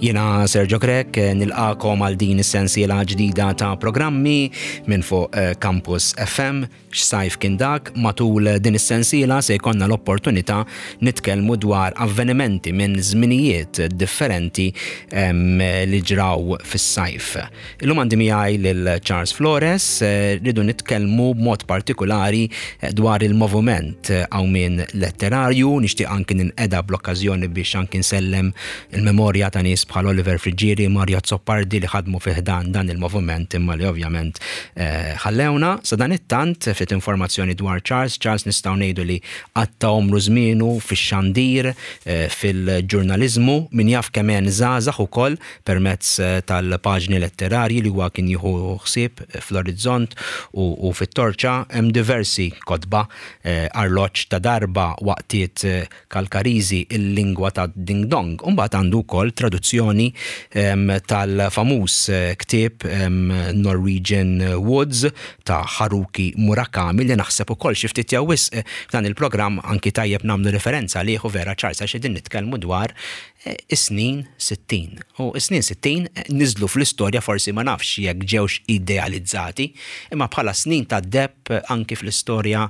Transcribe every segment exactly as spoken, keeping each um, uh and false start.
Jiena Sergio Grech, nilqagħkom għal din is-sensiela ġdida ta' programmi minn fuq eh, Campus F M, "X'Sajf Kien Dak". Matul din is-sensiela se jkollna l-opportunità nitkellmu dwar avvenimenti minn żminijiet differenti em, li ġraw fis-sajf. Illum għandi miegħi lil Charles Flores, eh, rridu nitkellmu b'mod partikolari eh, dwar il-moviment qawmien letterarju. Nixtieq anki ninqeda bl-okkażjoni biex anki nsellem il-memorja ta' nies bħal Oliver Friggieri, Mario Azzopardi, li ħadmu fi ħdan dan il-moviment imma li ovvjament eh, ħallewna. Sa dan it-tant, ftit informazzjoni dwar Charles. Charles nistgħu ngħidu li qatta' għomru żmienu fix-xandir, eh, fil-ġurnaliżmu, min jaf kemm żgħażagħ ukoll permezz eh, tal-paġni letterarji li huwa kien jieħu ħsieb fl-Orizzont u, u fit-Torċa. Hemm diversi kotba, eh, "Arloġġ ta' Darba", "Waqtiet eh, Kalkariżi", "Il-Lingwa ta' Ding Dong". Umbagħad għandu wkoll traduzzjoni em, tal-famuż eh, ktieb em, Norwegian Woods ta' Haruki Murakami, li naħseb ukoll xi ftit jew wisq eh, f'dan il-programm anki tajjeb nagħmlu referenza għalih, vera, Charles, għax qegħdin nitkellmu dwar eh, is-snin sittin. U is-snin sittin eh, niżlu fl-istorja, forsi ma nafx jekk ġewx idealizzati, imma bħala snin ta' deheb anki fl-istorja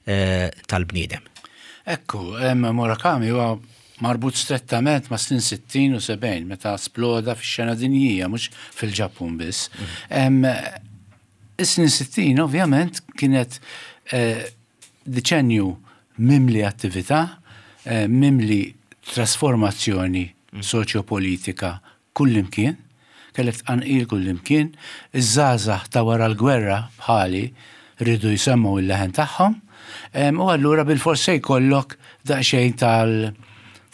eh, tal-bniedem. Ekku, em, Murakami huwa marbut strettament ma' snin sittin u sebgħin, meta sploda fix-xena dinjija, mhux fil-Ġappun biss. Em, Is-snin sittin ovvjament kienet eh, deċenju mimli attività, eh, mimli trasformazzjoni soċjopolitika kullimkien, kellek tqanqil kullimkien, iż-żgħażagħ ta' wara l-gwerra bħali rridu jsemmu il-leħen tagħhom, em, u allura bil-fors se jkollok daqsxejn tal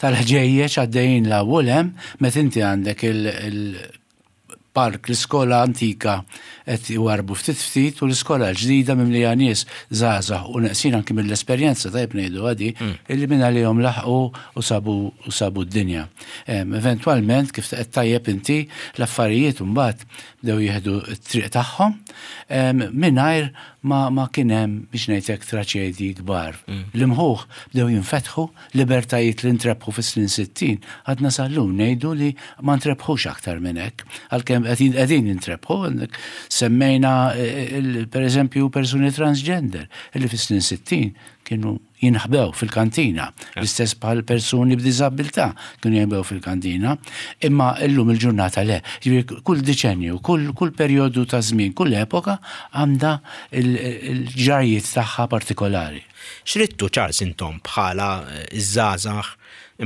tal-ħġejjeġ għaddejjin 'l hawn u 'l hemm, meta inti għandek il-park, l-iskola antika qed iwarbu ftit ftit u l-iskola l-ġdida mimlija nies żgħażagħ u neqsin anki mill-esperjenza, tajb ngħidu għadi, illi minn għalihom laħqu u sabu u sabu d-dinja. Em, Eventwalment, kif qed tajjeb inti, l-affarijiet mbagħad bdew jieħdu t-triq tagħhom em, mingħajr ma, ma kien hemm, biex ngħidlek, traċedji kbar. L-imħuħ bdew jinfetħu, libertajiet li ntrebħu fis-snin sittin, għadna sal-lum ngħidu li ma ntrebħux aktar minn hekk, għalkemm qegħdin qegħdin jintrebħu, għandek semmejna eh, il- per eżempju persuni transgender illi fis-snin sittin kienu jinħbew fil-kantina, l-istess bħal persuni b'diżabilità kienu jinħbew fil-kantina, imma illum il-ġurnata le. Ġifieri kull deċenju, kull, kull perjodu ta' żmien, kull epoka għandha il-ġrajiet tagħha partikolari. X'ridtu, Charles, intom bħala eh, iż-żgħażagħ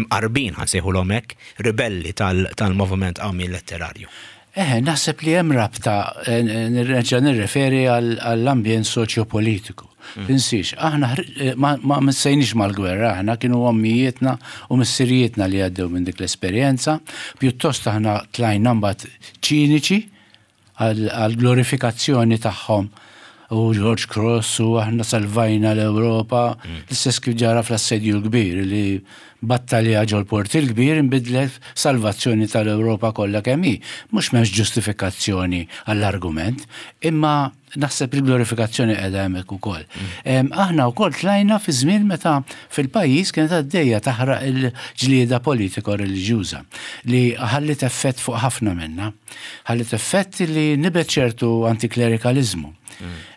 imqarbin, ħa nsejħulhom hekk, ribelli tal- tal-moviment qawmien letterarju? Eh, naħseb li hemm rabta, eh, nirreġa' nirreferi għall-ambjent soċjopolitiku. Tinsix, aħna ħr- eh, ma, ma missejniex mal-gwerra, aħna kienu ommijietna u missirijietna li għaddew minn dik l-esperjenza, pjuttost aħna tlajna mbagħad ċiniċi għal-glorifikazzjoni tagħhom u George Cross u aħna salvajna l-Ewropa, l-istess kif ġara fl-Assedju l-Kbir, li battalja ġol-Port il-Kbir inbidlet salvazzjoni tal-Ewropa kollha kemm hi. Mhux m'hemmx ġustifikazzjoni għall-argument, imma naħseb il-glorifikazzjoni qiegħda hemmhekk ukoll. Em, Aħna wkoll tlajna fi żmien meta fil-pajjiż kienet għaddejja taħraq il-ġlieda politiko-reliġjuża li ħallit effett fuq ħafna minna. Ħallit effett li nibet ċertu antiklerikalizmu.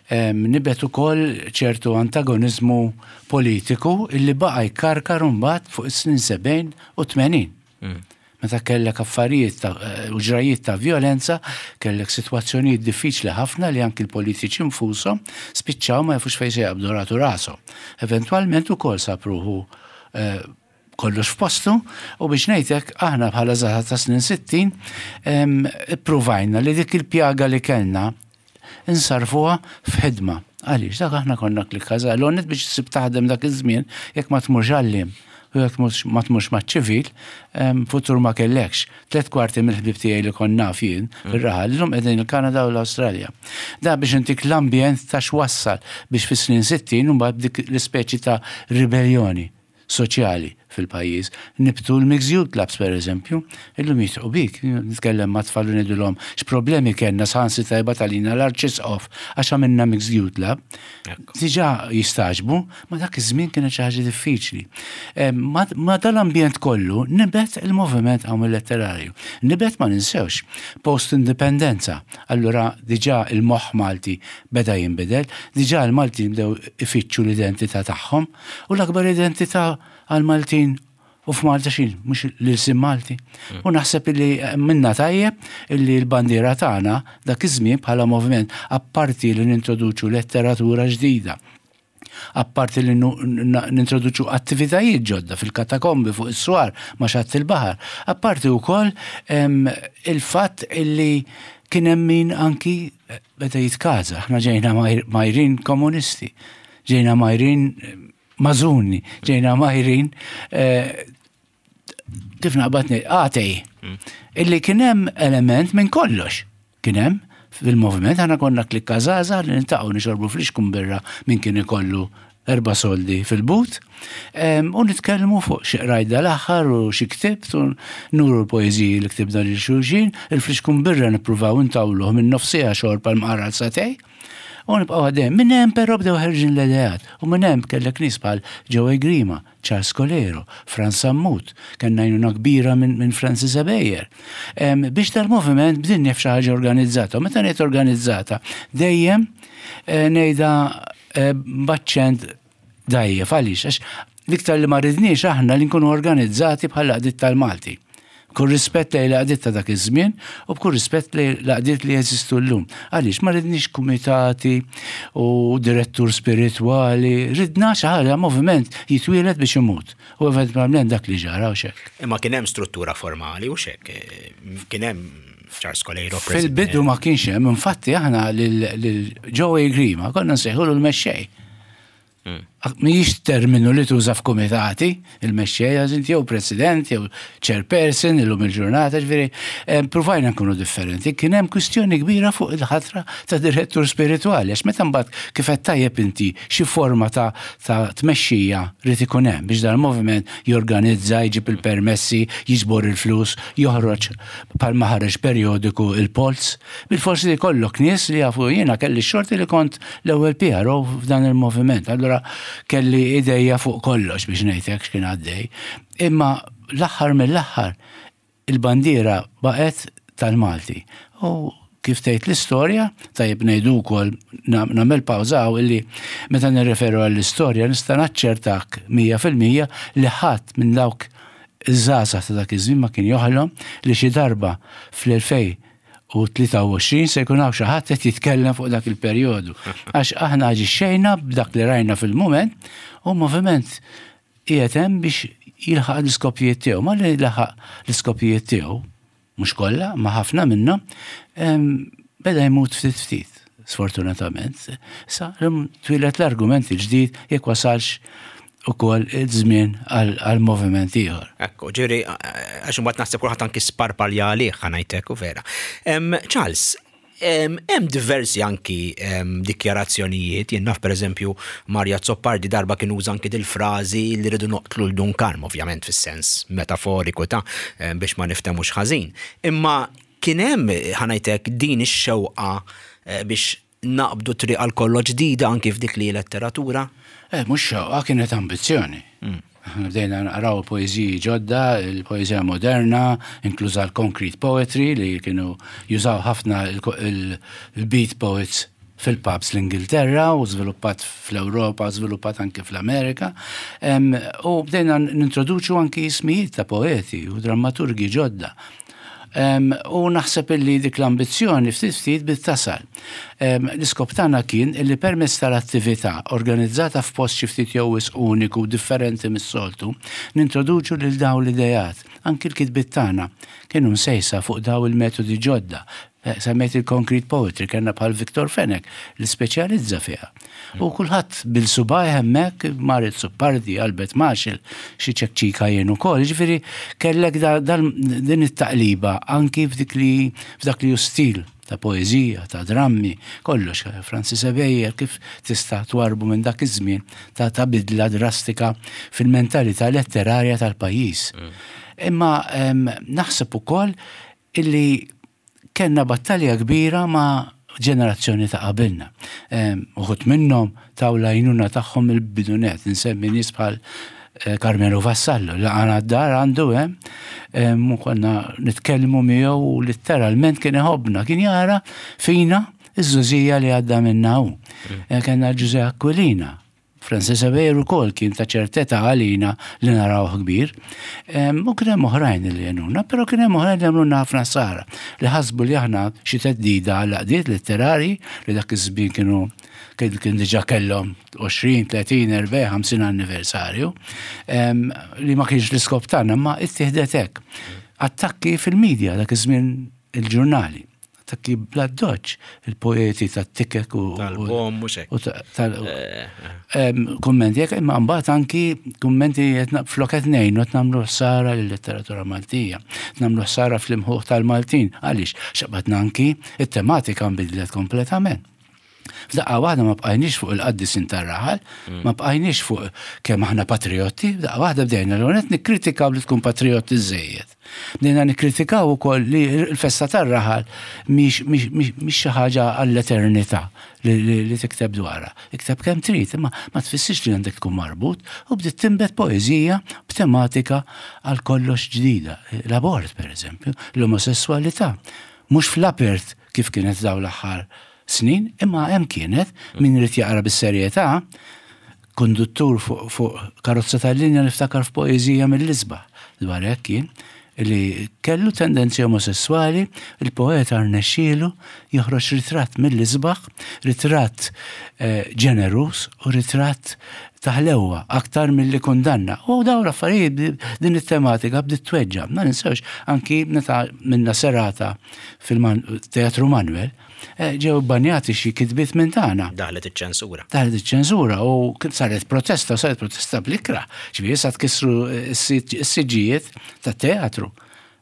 Em, Nibet ukoll ċertu antagonizmu politiku illi baqa' jkarkar mbagħad fuq is-snin sebgħin u tmenin. Meta kellek affarijiet ta' u ġrajiet ta' violenza, kellek sitwazzjonijiet diffiċli ħafna li anki l-politiċi nfushom spiċċaw ma jafux fejn se jaqbdu ratu rashom. Eventwalment ukoll sab ruħu eh, kollox f'postu u, biex ngħidlek, aħna bħala żgħażagħ ta' snin sittin em, ippruvajna li dik il-pjaga li kellna insarfuha f'ħidma. Għaliex dak aħna konna klikka l biex issib taħdem dak iż-żmien, jekk ma tmurx għalliem u jekk mhux- ma tmurx maċ-ċivil, em, futur ma kellekx. Tlet kwarti mill-ħbib tiegħi li konna jien fir-raħal illum qegħdin il-Kanada u l-Awstralja. Da biex intik l-ambjent ta' x'wassal biex fis-snin sittin u mbagħad dik l-ispeċi ta' ribellioni soċjali fil-pajjiż. fil-pajjiż. Nibtu l-Mixed Youth Clubs, per eżempju, illum jidħqu bik, nitkellem ma' tfal u ngħidulhom x'problemi kellna saħansitra jibgħat għalina l-Arċisqof għax għamilna Mixed Youth Club. Diġà jistagħġbu, ma dak iż-żmien kienet xi ħaġa diffiċli. Ma dal-ambjent kollu nibet il-moviment hawn letterarju. Nibet, ma ninsewx, post-indipendenza. Allura diġà il-moħħ Malti beda jinbidel, diġà il-Malti bdew ifittxu l-identità tagħhom u l-akbar identità għal-Maltin u f'Malta xin, mhux l-ilsien Malti. Mm. U naħseb li minna tajjeb illi l-bandiera tagħna dak iż-żmien bħala moviment, apparti li nintroduċu letteratura ġdida, apparti li nintroduċu attivitajiet ġodda fil-katakombi, fuq is-swar, ma' xatt il-baħar, apparti wkoll il-fatt illi kien hemm min anki beda jitkaża. Aħna ġejna mgħajrin komunisti, ġejna mgħajrin mażuni, ġejna mgħajrin, eh, kif naqbad, atei. Mm. Illi kien hemm element minn kollox. Kien hemm fil-moviment, aħna konna klikka żgħażagħ li niltaqgħu nixorbu flixkun birra, minn kien ikollu erba' soldi fil-but, u nitkellmu fuq xi qrajt dal-aħħar u xi ktibt u nuru l-poeżiji li ktibna lil xulxin, il-flixkun birra nippruvaw intawluh minn nofs siegħa xorb għal mqar sagħtejn. U nibqgħu għaddejn. Minn hemm però bdew ħerġin l-ideat. U minn hemm kellek nies bħal Joey Grima, Charles Coleiro, Franz Sammut, kellna għajnuna kbira minn min Francis Ebejer. Biex tal-moviment bdin xi ħaġa organizzata. U meta ngħid organizzata, dejjem eh, ngħidha eh, b'aċċent dgħajjef. Għaliex? Għax l-iktar li ma ridniex aħna li nkunu organizzati bħal għaqdiet tal-Malti. B'kull rispett lejn l-għaqdiet ta' dak iż-żmien u b'kull rispett lejn l-għaqdiet li jeżistu llum. Għaliex ma ridniex kumitati u direttur spiritwali, ridna xi ħaġa, moviment jitwieled biex imut. U eventwalment dak li ġara u xek. Imma kien hemm struttura formali u xek, kien hemm Charles Coleiro. Fil-bidu ma kienx hemm, infatti aħna lil Joey Grima konna nsejħulu l-mexxej. Hmm. Mhijiex terminu li tuża f'kumitati, il-mexxej, għax jew president, jew chairperson, illum il-ġurnata, ġifieri, provajna nkunu differenti. Kien hemm kwistjoni kbira fuq il-ħatra ta' direttur spiritwali, għax meta mbagħad, kif qed tajjeb inti, xi forma ta' tmexxija rid ikun hemm biex dal-moviment jorganizza, jġib il-permessi, jiġbor il-flus, joħroġ bħalma ħareġ periodiku il-Polz. Bil-forsi li jkollok nies li jafu. Jiena kelli xorti li kont l-ewwel P R O f'dan il-moviment. Allura kelli idejja fuq kollox biex ngħidlek x'kien għaddej. Imma l-aħħar mill-aħħar il-bandiera baqgħet tal-Malti. U kif tgħid l-istorja, tajjeb ngħidu wkoll, nagħmel pawża, illi meta nirreferu għall-istorja nista' naċċertak mija fil-mija li ħadd minn dawk iż-żgħażagħ ta' dak iż-żmien ma kien joħlom li xi darba fl-elfejn u tlieta u għoxrin se jkun hawn xi ħadd qed jitkellem fuq dak il-perjodu. Għax aħna aġixxejna b'dak li rajna fil-mument u moviment qiegħed hemm biex jilħaq l-iskopijiet tiegħu. Ma li laħaq l-iskopijiet tiegħu, mhux kollha, ma ħafna minnhom, beda jmut ftit ftit, sfortunatament. Sa twieled l-argument il-ġdid jekk wasalx ukoll iż-żmien għal moviment ieħor. Ekku, ġifieri, għax imbagħad naħseb kulħadd anki sparpalja għalih, ħa ngħidlek, u vera. Charles, hemm diversi anki dikjarazzjonijiet, jien naf, pereżempju, Mario Azzopardi darba kien uża anki dil-frażi li rridu noqtlu 'l Dun Karm, ovvjament fis-sens metaforiku ta' biex ma niftemux ħażin. Imma kien hemm, ħa ngħidlek, din ix-xewqa eh, biex naqbdu triq għal kollox ġdida anki f'dik li letteratura? Eh, mhux xewqa, kienet ambizzjoni. Mm. Bdejna naqraw poeziji ġodda, il-poezija moderna, inkluża l-concrete poetry li kienu jużaw ħafna il-beat poets fil-pubs l-Ingilterra u żviluppat fl-Europa, żviluppat anke fl-Amerika. U bdejna nintroduċu anki ismijiet ta' poeti u drammaturgi ġodda. U naħseb illi dik l-ambizzjoni ftit ftit bdiet tasal. L-iskop tagħna kien illi permezz tal-attività organizzata f'post xi ftit jew uniku, differenti mis-soltu, nintroduċu lil dawn l-idejat. Anki l-kitbiet tagħna kienu msejsa fuq daw il-metodi ġodda. Eh, semmejt il-concrete poetry, kellna bħal Victor Fenech li speċjalizza fiha. U kulħadd bil-subgħa hemmhekk, Mario Azzopardi, Albert Machel, xi ċekċika jien ukoll. Ġifieri kellek din it-taqliba anki f'dik li f'dak li hu stil. ta' poeżija, ta' drammi, kollox. Francis Ebejer kif tista' twarbu minn dak iż-żmien ta' ta' bidla drastika fil-mentalità letterarja tal-pajjiż. Mm. Imma naħseb ukoll illi kellna battalja kbira ma' ġenerazzjoni ta' qabilna. Uħud minnhom taw l-għajnuna tagħhom il-bidunet, nsemmi nies bħal eh, Carmelo Vassallo, li għana d-dar għandu hemm, u konna nitkellmu miegħu u letteralment kien iħobbna, kien jara fina iż-żgħożija li għadda minna hu. Mm. Eh, kellna Ġużè Aquilina, Francis Ebejer ukoll kien ta' ċertezza għalina li narawh kbir. U kien hemm oħrajn li għenuna, però kien hemm oħrajn li għamlulna ħafna ħsara, li ħasbu li aħna xi theddida għal għaqdiet letterari li dak iż-żmien kienu kien diġà kellhom għoxrin, tletin, erbgħin, ħamsin anniversarju, li ma kienx l-iskop tagħna, ma ittieħdet hekk. Attakki fil-medja dak iż-żmien, il-ġurnali. Attakki bla doċ, il-poeti tat-tikek u tal-bom mhux hekk. Kummenti hekk, imma mbagħad anki kummenti flok qed ngħinu qed nagħmlu ħsara lill-letteratura Maltija, nagħmlu ħsara fl-imħuħ tal-Maltin. Għaliex? X'qbadna anki it-tematika nbidlet kompletament. F'daqqa waħda ma bqajniex fuq il-qaddisin tar-raħal, mm. ma bqajniex fuq kemm aħna patriotti, f'daqqa waħda bdejna l nikkritikaw li tkun patriotti żejjed. Bdejna nikkritikaw ukoll li l-festa tar-raħal mhix xi ħaġa għall-eternità li tikteb dwarha. Ikteb kemm trid, imma ma tfissirx li għandek tkun marbut, u bdiet tinbet poeżija b'tematika għal kollox ġdida. L-abort, per eżempju, l-omosessualità. Mhux fl-apert kif kienet daw l-aħħar snin, imma hemm kienet, min irid jaqra bis-serjetà, konduttur fuq fu karozza tal-linja niftakar f'poeżija mill-isbaħ dwar hekk kien li kellu tendenzi omosessuali, il-poeta rnexxielu joħroġ ritratt mill-isbaħ, ritratt eh, ġenerus u ritratt taħlewa aktar mill-li kundanna. U dawn l-affarijiet, din it-tematika bdiet tweġġa. Ma ninsewx anki meta minna serata fil-Teatru Manuel, eh, ġew banjati xi kitbiet minn tagħna. Daħlet iċ-ċensura. Daħlet iċ-ċensura u saret protesta, saret protesta bl-ikrah. Ġifieri sa tkissru s-siġġijiet tat-teatru.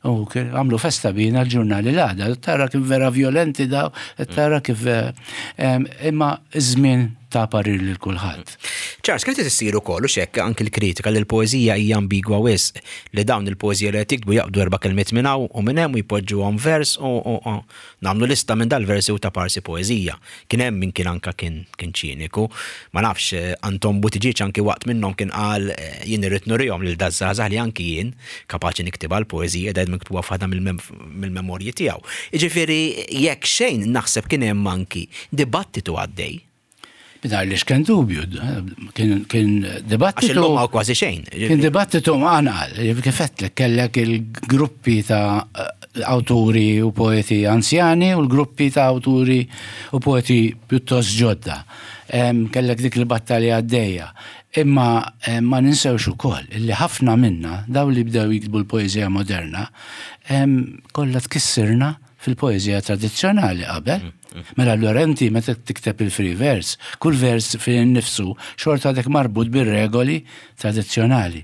U għamlu festa bina l-ġurnali l-għada. Tara kif vera violenti daw, tara kif imma iż-żmien ta' parir lil kulħadd. Charles, kienet issir ukoll u xekk anki l-kritika li l-poeżija hija ambigwa wisq, li dawn il-poeżija li qed jiktbu jaqbdu erba' kelmiet minn hawn u minn hemm u jpoġġuhom vers u nagħmlu lista minn dal-versi u ta' parsi poeżija. Kien hemm min kien anka kien kien ċiniku. Ma nafx, Anton Buttigieg anki waqt minnhom kien qal jien irrid nurihom lil daż-żgħażagħ li anki jien kapaċi niktibha l-poeżija, dajt miktuba f'waħda mill-memorji tiegħu. Jiġifieri jekk xejn naħseb kien hemm anki dibattitu għaddej. Mingħajr li xken dubju, kien, kien dibattitu. Għax illum hawn kważi xejn. Kien dibattitu mqanqal, kif għedtlek, kellek il-gruppi ta' awturi u poeti anzjani u l-gruppi ta' awturi u poeti pjuttost ġodda. Kellek dik il-battalja għaddejja. Imma ma ninsewx ukoll illi ħafna minna, daw li bdew jiktbu l-poeżija moderna, kollha tkissirna fil-poeżija tradizzjonali qabel. Mela allura inti meta tikteb il-free verse, kull vers fil nifsu xorta għadek marbut bir-regoli tradizzjonali.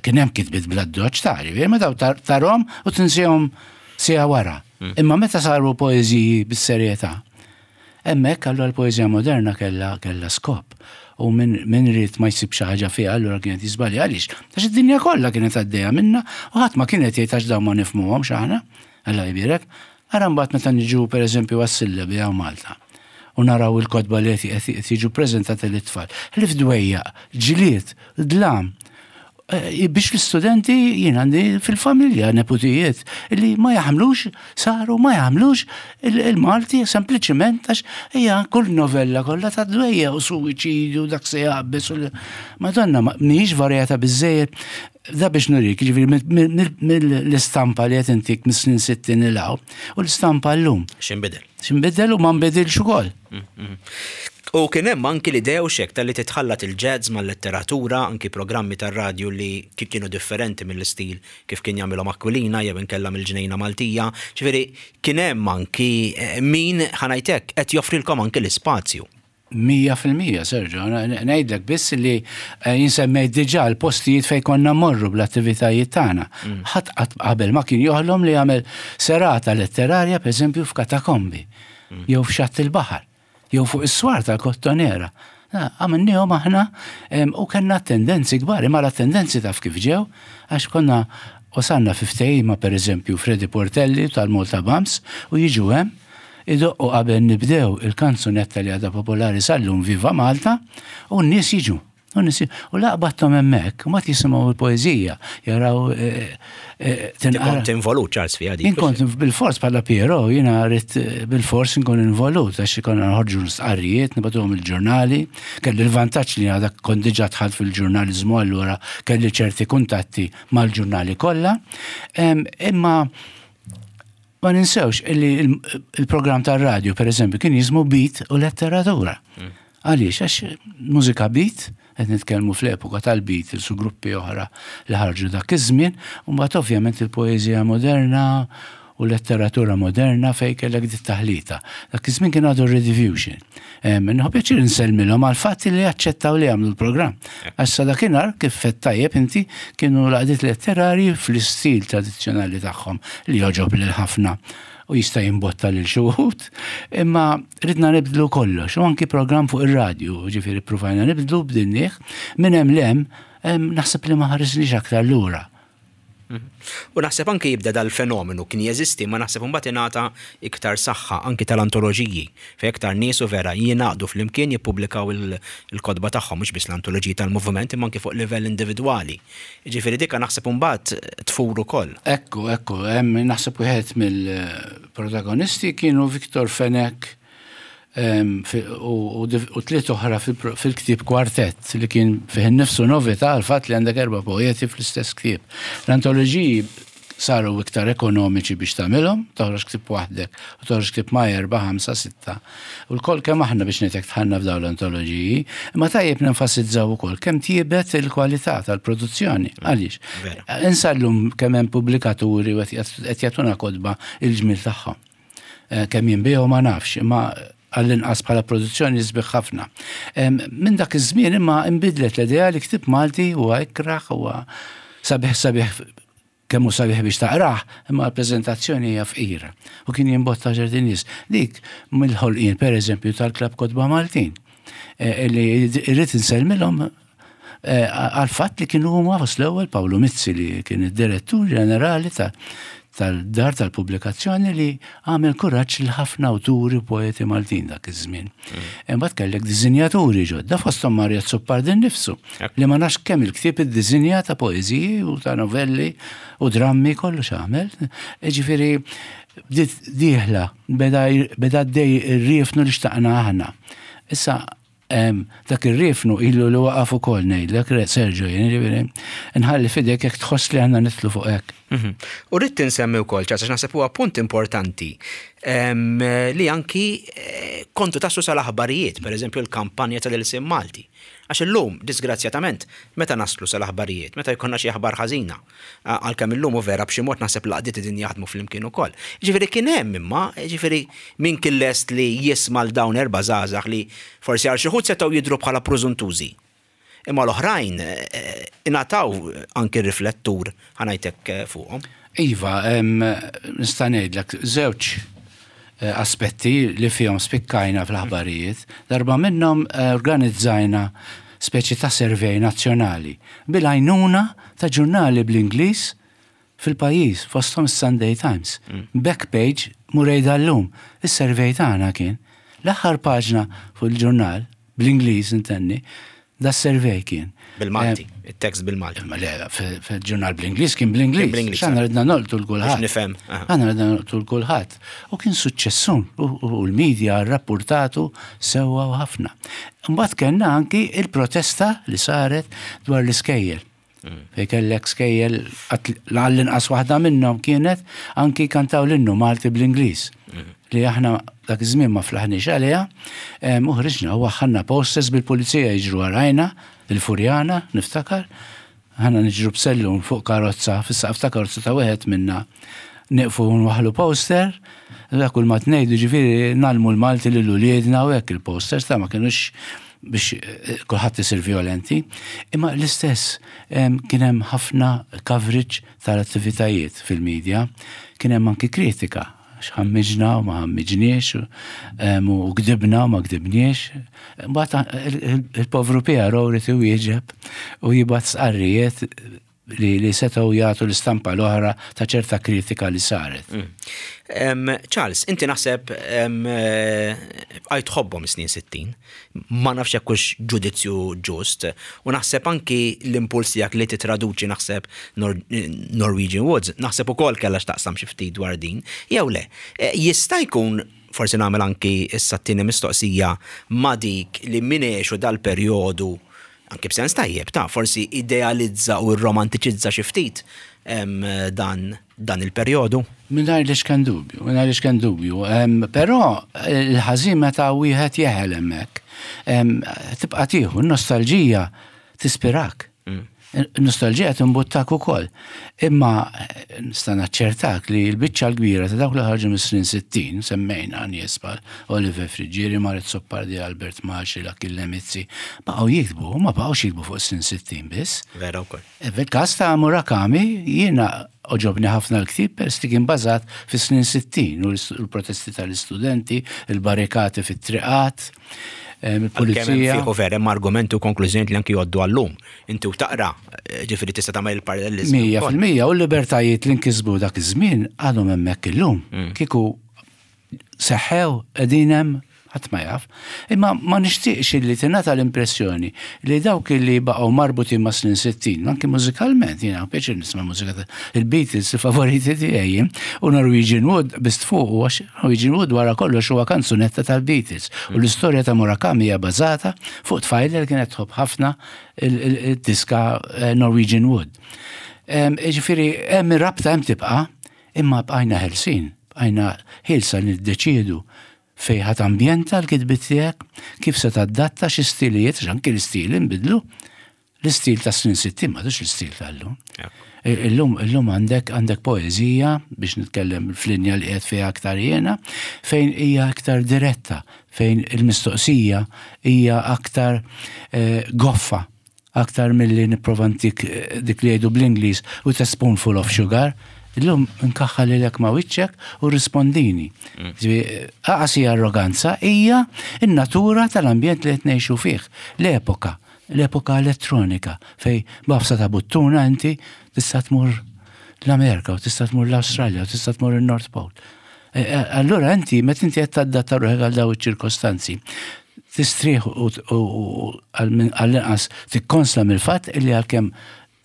Kien hemm kitbiet bla doċ ta' ġifieri, meta tarhom u tinsihom sija wara. Imma meta saru poeżiji bis-serjetà, hemmhekk allura l-poeżija moderna kellha kellha skop. U min, min ried ma jsib xi ħaġa fiha allura kienet jiżbalja. Għaliex? Għax id-dinja kollha kienet għaddejja minna u ħadd ma kienet jgħid għax dawn ma nifhmuhomx aħna. Alla jbierek. Ara mbagħad meta niġu pereżempju għas-sillabi hawn Malta u naraw il-kotba li qed jiġu preżentati lit-tfal. Ħlief dwejjaq, ġlied, dlam. Biex l-istudenti jien għandi fil-familja neputijiet li ma jaħmlux, saru ma jaħmlux il-Malti sempliċiment għax hija kull novella kollha ta' dwejja u suwiċidju dak se jaqbes u Madonna mhijiex varjata biżejjed. Da biex nurik, ġifieri mill-istampa li qed intik mis-snin sittin il hawn u l-istampa llum. X'inbidel? X'inbidel u ma nbidilx ukoll. U kien hemm anki l-idea u xek tal-li titħallat il-jazz mal-letteratura, anki programmi tar-radju li kienu differenti mill-istil kif kien jagħmilhom Aquilina jew inkella mill-Ġnejna Maltija. Ġifieri kien hemm anki min ħanajtek qed joffrilkom anki l-ispazju. Mija fil-mija, Sergio. Ngħidlek biss li eh, jien semmejt diġà l-postijiet fejn konna mmorru bl-attivitajiet tagħna. Mm. Ħadd qabel ma kien joħlom li jagħmel serata letterarja, pereżempju, f'katakombi, mm. jew f'xatt il-baħar, jew fuq is-swar tal-Kottonera. Għamilnihom aħna u kellna tendenzi kbar, imma la tendenzi taf kif ġew, għax konna wasalna fi ftehima, pereżempju, Freddy Portelli tal-Malta Bams, u jiġu hemm idoqqu qabel nibdew il-kanzunetta li għadha popolari sal-lum, "Viva Malta", u n-nies jiġu. U n-nies u laqbattom hemmhekk, u ma jisimgħu l-poeżija, jaraw eh, eh, tinqara. Kont involut, Charles, fiha dik. Kont bil-fors bħala Piero, jiena rrid eh, bil-fors nkun involut, għax konna noħorġu stqarrijiet, nibagħtuhom il-ġurnali, kelli l-vantaġġ li għadak kont diġà dħalt fil-ġurnalizmu, allura kelli ċerti kuntatti mal-ġurnali kollha. Imma ma ninsewx illi il-programm tar-radju, per eżempju, kien jismu Beat u Letteratura. Mm. Għaliex? Għax mużika beat, qed nitkellmu fl-epoka tal-Beatles u gruppi oħra li ħarġu dak iż-żmien, u mbagħad ovvjament il-poeżija moderna u letteratura moderna fej kellek dit taħlita. Dak iż-żmien kien għadu Rediffusion. Nieħu pjaċir insellmilhom għal fatt li jaċċettaw li jagħmlu l-programm. Għax sa dakinhar, kif għedt tajjeb inti, kienu l-għaqdiet letterari fl-istil tradizzjonali tagħhom li joġob lil ħafna u jista' jimbotta lil xi wħud, imma ridna nibdlu kollox, u anki programm fuq ir-radju, ġifieri ppruvajna nibdlu bdinnieh, minn hemm 'l hemm naħseb li ma ħarisniex aktar lura. U naħseb anki jibda dal-fenomenu, kien jeżisti, ma naħseb mbagħad ingħata iktar saħħa anki tal-antoloġiji, fejn iktar nies u vera jingħaqdu flimkien jippubblikaw il-kotba tagħhom, mhux biss l-antoloġiji tal-moviment imma anki fuq livell individwali. Ġifieri dika naħseb imbagħad tfur ukoll. Ekku, ekku, hemm naħseb wieħed mill-protagonisti kienu Victor Fenech u tliet oħra fil-ktieb Kwartett, li kien fih nifsu novità għal-fatt li għandek erba' poeti fl-istess ktieb. L-antoloġiji saru iktar ekonomiċi biex tagħmilhom, toħroġ ktieb waħdek u toħroġ ktieb ma' erba', ħamsa, sitta. U lkoll kemm aħna, biex ngħidlek, dħalna f'dawn l-antoloġiji, imma tajjeb nenfasizzaw ukoll kemm tjiebet il-kwalità tal-produzzjoni. Għaliex? Insallum kemm hemm pubblikaturi u qed jagħtuna kotba il-ġmil tagħhom. Eh, kemm jinbiegħu ma nafx, imma għall-inqas bħala produzzjoni sbieħ ħafna. Minn dak iż-żmien imma imbidlet l-idea li ktib Malti huwa ikraħ, huwa sabiħ sabiħ kemm hu sabiħ biex taqrah, imma l-preżentazzjoni hija fqira. U kien jimbotta ċerti nies. Dik mill-ħolqien, pereżempju, tal-Klabb Kotba Maltin, eh, li irrid insellmilhom eh, għal-fatt li kienu huma fost l-ewwel, Pawlu Mizzi li kien id-direttur ġenerali ta' tal-dar tal-pubblikazzjoni, li għamel kuraġġ lil ħafna awturi u poeti Maltin dak iż-żmien. Mm. Imbagħad kellek diżinjaturi ġodda, fosthom Mario Azzopardi nnifsu, li ma nafx kemm il-ktieb iddiżinja ta' poeżiji u ta' novelli u drammi, kollox għamel. Ġifieri bdiet dieħla, beda dej ir-riefnu li xtaqna aħna. Issa dak ir-riefnu ilu li waqaf ukoll, ngħidlek, Sergio, ġifieri nħalli f'idek jekk tħoss li għandna nidħlu fuq hekk. Mhm. U rrid insemmi wkoll, ċas naħseb huwa punt importanti li anki eh, kontu taslu sal-aħbarijiet, per eżempju l-kampanja tal-Ilsien Malti. Għax illum, disgrazzjatament, meta naslu sal-aħbarijiet? Meta jkollna xi aħbar ħażina. Għalkemm illum u vera b'xi mod naħseb l-għaqdiet din jaħdmu flimkien ukoll. Ġifieri kien hemm, imma ġifieri min kien lest li jisma' l dawn erba' żgħażagħ li forsi għal xi wħud setgħu jidhru bħala prużuntużi. Imma l-oħrajn eh, ingħataw anki riflettur, ħa ngħidlek, eh, fuqhom. Iva, nista' ngħidlek żewġ eh, aspetti li fihom spikkajna fl-aħbarijiet. Darba minnhom organizzajna speċi ta' survey nazzjonali bil-għajnuna ta' ġurnali bl-Ingliż fil-pajjiż, fosthom Sunday Times. Mm. Back page murejda l-lum. Is-survey tagħna kien. L-aħħar paġna fuq il-ġurnal bl-Ingliż intenni, da survey kien. Bil-Malti, eh, il-tekst bil-Malti. Ma le, fil-ġurnal bl-Ingliż kien bl-Ingliż. Aħna ridna nolqtu 'l kulħadd. Nifhem. Aħna ridna nolqtu 'l kulħadd. U kien suċċessun u l-medja rrapportatu sewwa u ħafna. Mbagħad kellna anki il-protesta li saret dwar l-iskejjel. Mm. Fej kellek skejjel, għall-inqas waħda minnhom kienet anki kantaw l-innu Malti bl-Ingliż. Mm. Li aħna dak iż-żmien ma flaħniex għaliha, u ħriġna u waħħalna posters bil-pulizija jiġru warajna, il-Furjana, niftakar, aħna niġru b'sellum fuq karozza, fis-saqaf ta' karozza ta' wieħed minna Nieqfu nwaħħlu poster, dak kull ma tnejdu, ġifieri ngħallmu l-Malti lil uliedna u hekk. Il-posters ta' ma kinux biex eh, kulħadd isir violenti, imma l-istess kien hemm ħafna coverage tal-attivitajiet fil-medja, kien hemm anki kritika x'ħammiġna u ma ħammiġniex u gdibna u ma gdibniex. Mbagħad il-povru P R O ried iwieġeb u jibgħat stqarrijiet li, li setgħu jagħtu l-istampa l-oħra ta' ċerta kritika li saret. Mm. Charles, inti naħseb għaj tħobbhom snin sittin, ma nafx jekk hux ġudizzju ġust, u naħseb anki l-impuls tiegħek li titraduċi naħseb Norwegian Woods, naħseb ukoll kellha x'taqsam xi ftit dwar din, jew le. E, jista' jkun, forsi nagħmel anki issa t-tieni mistoqsija ma' dik, li min għexu dal-perjodu, anki b'sens tajjeb ta' forsi idealizza u romantiċizza xi ftit dan, dan il-perjodu? Mingħajr l-iċken dubju, mingħajr l-iċken dubju. Però il-ħażin meta wieħed jeħel hemmhekk, tibqa' tieħu n-nostalġija, tispirak. Mm. Nostalġija timbuttak ukoll. Imma eh, nista' naċċertak li l-biċċa l-kbira ta' dawk li ħarġu mis-snin sittin, semmejna nies bħal Oliver Friggieri, Mario Azzopardi, Albert Maxi, Achille Mizzi, baqgħu jiktbu, ma baqgħux jiktbu fuq snin sittin biss. Vera wkoll. E, fil-każ ta' Murakami, jiena għoġobni ħafna l-ktib peress li kien bażat fis-snin sittin u l-protesti tal-istudenti, il-barrikati fit-triqat, il-pulizija. Fiħu vera, hemm argumenti u konklużjoni li anki jgħoddu għallum. Inti u taqra, eh, ġifieri tista' tagħmel il-parallelizmu. Mija fil-mija, u l-libertajiet li nkisbu dak iż-żmien għadhom hemmhekk illum. Mm. Kieku seħħew, qegħdin hemm, ħadd ma jaf. Imma ma nixtieqx li tingħata l-impressjoni li dawk li baqgħu marbutin ma' snin sittin, anki mużikalment, jiena pjaċir nisma' mużika il-Beatles, il-favoriti tiegħi, u Norwegian Wood bist fuq, għax Norwegian Wood wara kollox huwa kanzunetta tal-Beatles. U l-istorja ta' Murakami hija bażata fuq tfajla li kienet tħobb ħafna il-diska eh, Norwegian Wood. Ġifieri hemm ir-rabta, hemm tibqa', imma bqajna ħelsin, bqajna ħilsa li niddeċiedu fejn ħa tambjenta l-kitbit tiegħek, kif se tadatta, xi stilijiet, anki l-istili nbidlu. L-istil ta' snin sittin m'għadux l-istil tal-lum. Illum, illum għandek għandek poezija, biex nitkellem fl-linja li qiegħed fiha aktar jiena, fejn hija aktar diretta, fejn il-mistoqsija hija aktar eh, goffa, aktar milli nipprova ntik eh, dik li jgħidu bl-Ingliż "with a spoonful of sugar". Illum nkaħħal lilek ma' wiċċek u rispondini. Mm. Aqas hija arroganza, hija in-natura tal-ambjent li qed ngħixu fih. L-epoka, l-epoka elettronika fejn b'għafsa ta' buttuna inti tista' tmur l-Amerika u tista' tmur l-Awstralja u tista' tmur il-North Pole. E, e, allura inti, meta inti qed tadatta ruħek għal daw iċ-ċirkostanzi, tistrieħ u għall-inqas tikkonsla mill-fatt illi għalkemm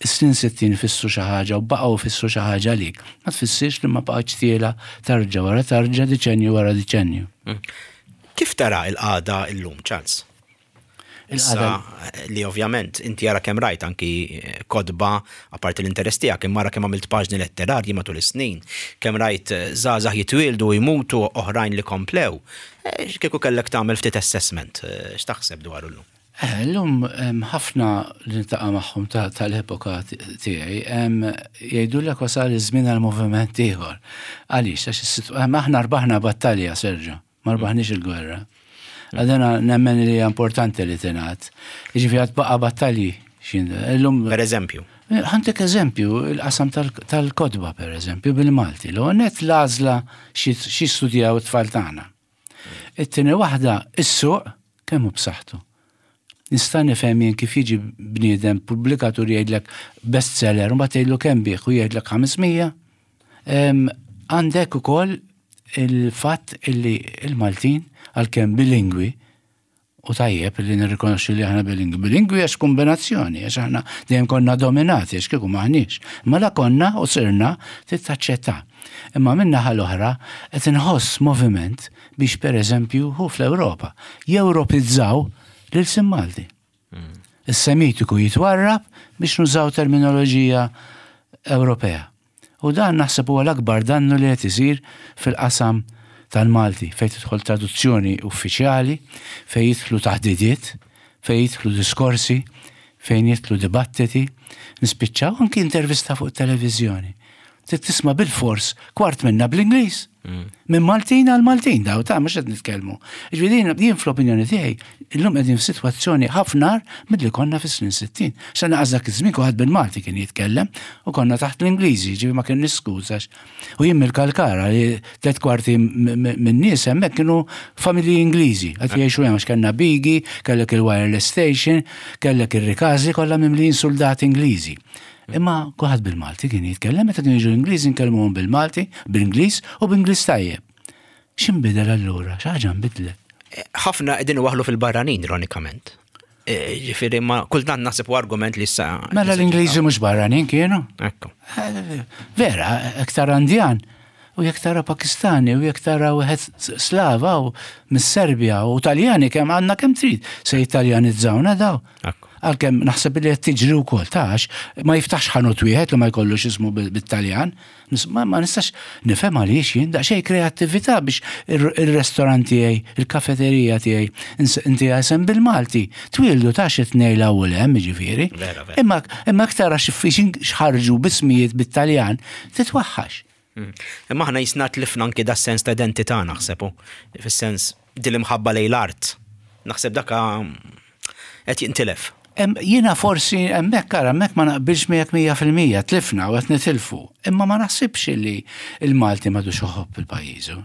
snin sittin fissru xi ħaġa u baqgħu fissru xi ħaġa għalik, ma tfissirx li ma baqgħetx tiela tarġa wara tarġa, diċenju wara diċenju. Mm. Kif tara il-qagħda illum, Charles? Issa li ovvjament inti jara kemm rajt anki eh, kotba, apparti l-interess tiegħek, imma ara kemm għamilt paġni letterarji matul is-snin, kemm rajt eh, żgħażagħ jitwieldu, jmutu, oħrajn li komplew. Eh, kieku kellek tagħmel ftit assessment, x'taħseb dwar illum? Illum ħafna li niltaqa' magħhom tal-epoka tiegħi jgħidulek wasal iż-żmien għal moviment ieħor. Għaliex? Għax aħna rbaħna battalja, Sergio, ma rbaħniex il-gwerra. Għadena nemmen li hija importanti li tingħad. Jiġifieri għad baqa' battalji. Illum. Per eżempju. Ħa ntik eżempju, il-qasam tal-kotba, per eżempju, bil-Malti. L-għonet l-għażla xi studjaw it-tfal tagħna. It-tieni waħda, is-suq kemm hu b'saħħtu. Nista' nifhem jien kif jiġi bniedem pubblikatur jgħidlek bestseller u mbagħad tgħidlu kemm biegħ u jgħidlek ħames mija. Għandek ukoll il-fatt illi il-Maltin, għalkemm bilingwi, u tajjeb li nirrikonoxxu li aħna bilingwi. Bilingwi għax kombinazzjoni, għax aħna dejjem konna dominati, għax kieku maħniex. Ma la konna u sirna, taċċetta. Imma min-naħa l-oħra qed inħoss moviment biex, per eżempju, hu fl-Ewropa jewropizzaw l-ilsien Malti. Is-Semitiku jitwarrab biex nużaw terminoloġija Ewropea. U dan naħseb huwa l-akbar dannu li qed isir fil-qasam tal-Malti, fejn tidħol traduzzjoni uffiċjali, fejn jidħlu taħdidiet, fejn jidħlu diskorsi, fejn jidħlu dibattiti, nispiċċaw anki intervista fuq televiżjoni. Trid tisma' bil-fors kwart minna bl-Ingliż. Minn Maltin għal Maltin daw ta' mhux qed nitkellmu. Ġifieri jien fl-opinjoni tiegħi illum qegħdin f'sitwazzjoni ħafna agħar milli konna fis-snin sittin. Sa naqas dak iż-żmien kulħadd bil-Malti kien jitkellem u konna taħt l-Ingliżi, ġifieri ma kien niskużax. U jien mill-Kalkara li tliet kwarti minn nies hemmhekk kienu familji Ingliżi. Qed jgħixu hemm għax kellna Bigi, kellek il-wireless station, kellek ir-Rikażli kollha mimlijin soldati Ingliżi. Imma kulħadd bil-Malti kien jitkellem, meta kienu jiġu l-Ingliżi nkellmuhom bil-Malti, bil-Ingliż u b'Ingliż tajjeb. X'inbidel allura? Xi ħaġa nbidlet. Ħafna qegħdin waħlu fil-barranin ironikament. E, ġifieri ma kultant naħseb argument li issa. Mela l-Ingliżi mhux barranin kienu? Ekku. Vera, iktar Indjan u jekk tara Pakistani u jekk tara wieħed Slava u mis-Serbja u Taljani kemm għandna kemm trid se jitaljanizzaw daw. Ekku. Għalkemm naħseb li qed tiġri wkoll tax ma jiftaħx ħanut wieħed li ma jkollux ismu bit-Taljan. Ma, ma nistax nifhem għaliex jien daqsxejn kreattività biex ir-restorant tiegħi, il-kafeterija tiegħi inti isem bil-Malti. Twildu tax it-tnejn l-ewwel hemm jiġifieri. Vera, vera. Imma imma aktar għax xħarġu bismijiet bit-Taljan titwaħħax. Mm. Imma aħna jisna tlifna anki da sens ta' identità naħseb, fis-sens dil-imħabba lejn l-art. Naħseb daka qed jintilef. Jiena forsi hemmhekk ara hemmhekk ma naqbilx miegħek mija fil-mija, tlifna u qed nitilfu. Imma ma naħsibx li il-Malti m'għadux iħobb il-pajjiżu.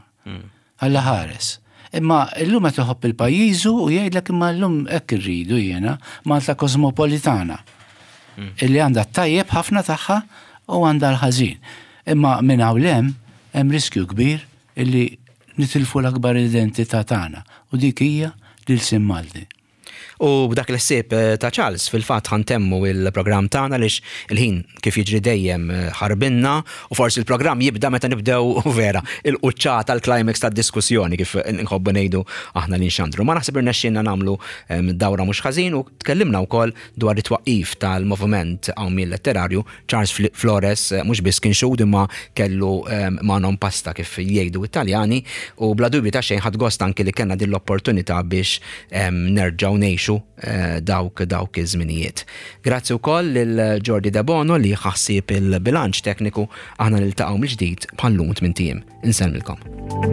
Alla ħares. Imma illum qed iħobb il-pajjiżu u jgħidlek imma llum hekk irridu jiena Malta kosmopolitana. Illi għandha t-tajjeb ħafna tagħha u għandha l-ħażin. Imma minn hawn hemm hemm riskju kbir illi nitilfu l-akbar identità tagħna u dik hija l-ilsien Malti. U b'dak l-ħsieb ta' Charles fil-fatt ħa ntemmu il-programm tagħna għaliex il-ħin kif jiġri dejjem ħarbinna u forsi il-programm jibda meta nibdew vera il-quċċata l-climax tad-diskussjoni kif nħobbu ngħidu aħna li nxandru. Ma naħseb irnexxielna nagħmlu dawra mhux ħażin u tkellimna wkoll dwar it-twaqqif tal-moviment Qawmien Letterarju. Charles Flores mhux biss kien xhud imma kellu mano in pasta kif jgħidu Italjani u bla dubju ta' xejn ħadd gost anki li kellna din l-opportunità biex nerġgħu ngħixu dawk dawk iż-żminijiet. Grazzi wkoll lil Jordi Debono li ħassib il-bilanċ tekniku. Aħna niltaqgħu mill-ġdid bħal-lum tmint ijiem. Insellmilkom.